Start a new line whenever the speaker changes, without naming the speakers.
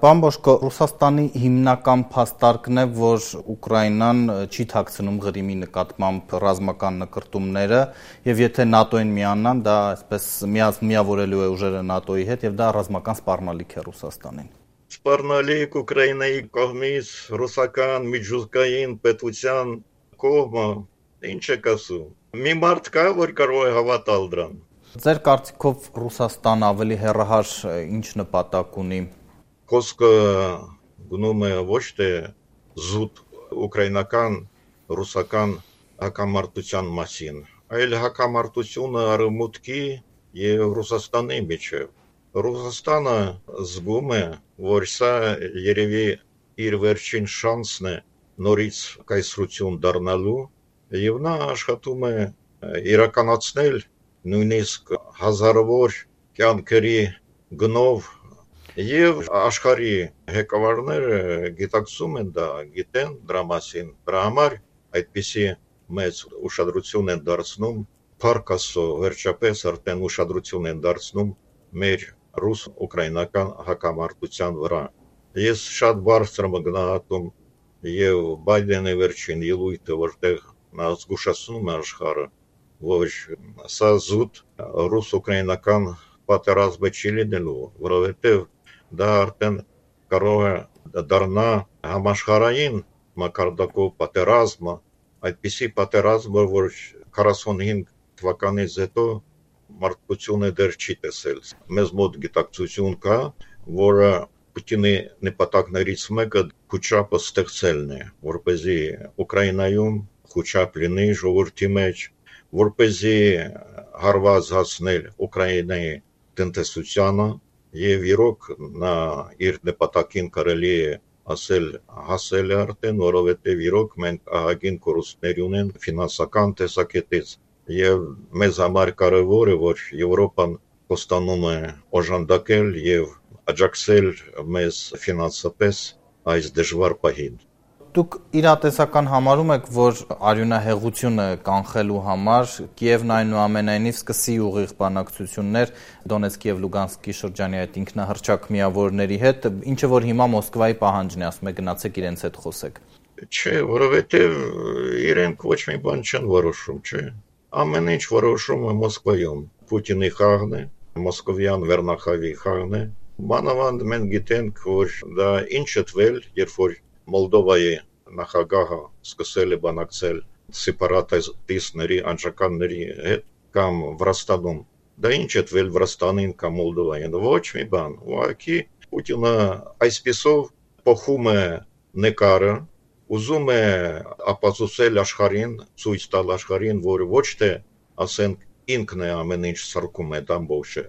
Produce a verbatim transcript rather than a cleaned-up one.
Պարոն Բոշկո, Ռուսաստանի հիմնական փաստարկն է, որ Ուկրաինան չի թաքցնում Ղրիմի նկատմամբ ռազմական նկրտումները, եւ եթե ՆԱՏՕ-ին միանան, դա այսպես միավորելու է ուժերը ՆԱՏՕ-ի հետ, եւ դա ռազմական սպառնալիք է Ռուսաստանին։
Սպառնալիք Ուկրաինայի կողմից ռուսական միջուկային պետության կողմը, ինչ եք ասում։ Մի մարդ կա, որ կարող է հավատալ դրան։
Ձեր կարծիքով Ռուսաստանը ավելի հեռահար ինչ նպատակ ունի։
Խոսքը գնում է ոչ թե զուտ ուկրաինական ռուսական հակամարտության մասին, այլ հակամարտությունը արևմուտքի եւ Ռուսաստանի միջեւ։ Ռուսաստանը զգում է, որ սա երևի իր վերջին շանսն է նորից կայսրություն դառնալու, եւ նա աշխատում է իրականացնել նույնիսկ հազարավոր կյանքերի գնով, եւ աշխարհի ղեկավարները գիտակցում են դա, գիտեն դրա մասին, դրա համար այդպիսի մեծ ուշադրություն են դարձնում, փառք Աստծո, վերջապես արդեն ուշադրություն են դարձնում մեր ռուս-ուկրաինական հակամարտության վրա։ Ես շատ բարձր եմ գնահատում եւ Բայդենի վերջին ելույթը, որտեղ նա զգուշացնում է աշխարհը, որ սա զուտ ռուս-ուկրաինական պատերազմը չի լինելու, որովհետեւ դա արդեն կարող է դառնա համաշխարհային մակարդակով պատերազմը, այդպիսի պատերազմ, որ քառասունհինգ թվականից հետո մարդկությունը դեռ չի տեսել։ Մեզ մոտ գիտակցություն կա, որը Պուտինի նպատակներից մեկը խոչապը ստեղծելն է, որպեսզի Ուկրաինայում խոչապ լինի ժողովրդի մեջ, որպեսզի հարված հասնել Ուկրաինայի տնտեսությանը, եւ իրոք նա իր նպատակին կարելի է ասել հասել է արդեն, որովհետեւ իրոք մենք ահագին կորուստներ ունենք ֆինանսական տեսակետից, եւ մեզ համար կարեւոր է, որ Եվրոպան կոստանում է օժանդակել եւ աջակցել մեզ ֆինանսապես այս դժվար պահին։
Դուք իրատեսական համարում եք, որ արյունահեղությունը կանխելու համար Կիևն այնուամենայնիվ սկսի ուղիղ բանակցություններ Դոնեցկի եւ Լուգանսկի շրջանի այդ ինքնահռչակ միավորների հետ, ինչը որ հիմա Մոսկվայի պահանջն է, ասում է գնացեք իրենց հետ խոսեք։
Չէ, որովհետեւ իրենք ոչ մի բան չեն որոշում, չէ։ Ամեն ինչ որոշում է Մոսկվայում։ Պուտինի խաղն է, մոսկովյան վերնախավի խաղն է։ Մանավանդ մենք գիտենք, որ դա ինչ ըտվել, երբ որ Մոլդովայի նախագահը սկսել է բանակցել սեպարատիստների, անջականների հետ կամ Վրաստանում, դա ինչ ըտվել Վրաստանին կամ Մոլդովային, ոչ մի բան։ Ուղղակի Պուտինը այսպեսով փոխում է նկարը, ուզում է ապացուցել աշխարհին, ցույց տալ աշխարհին, որ ոչ թե ասենք ինքն է ամեն ինչ սարքում այդ ամբողջը,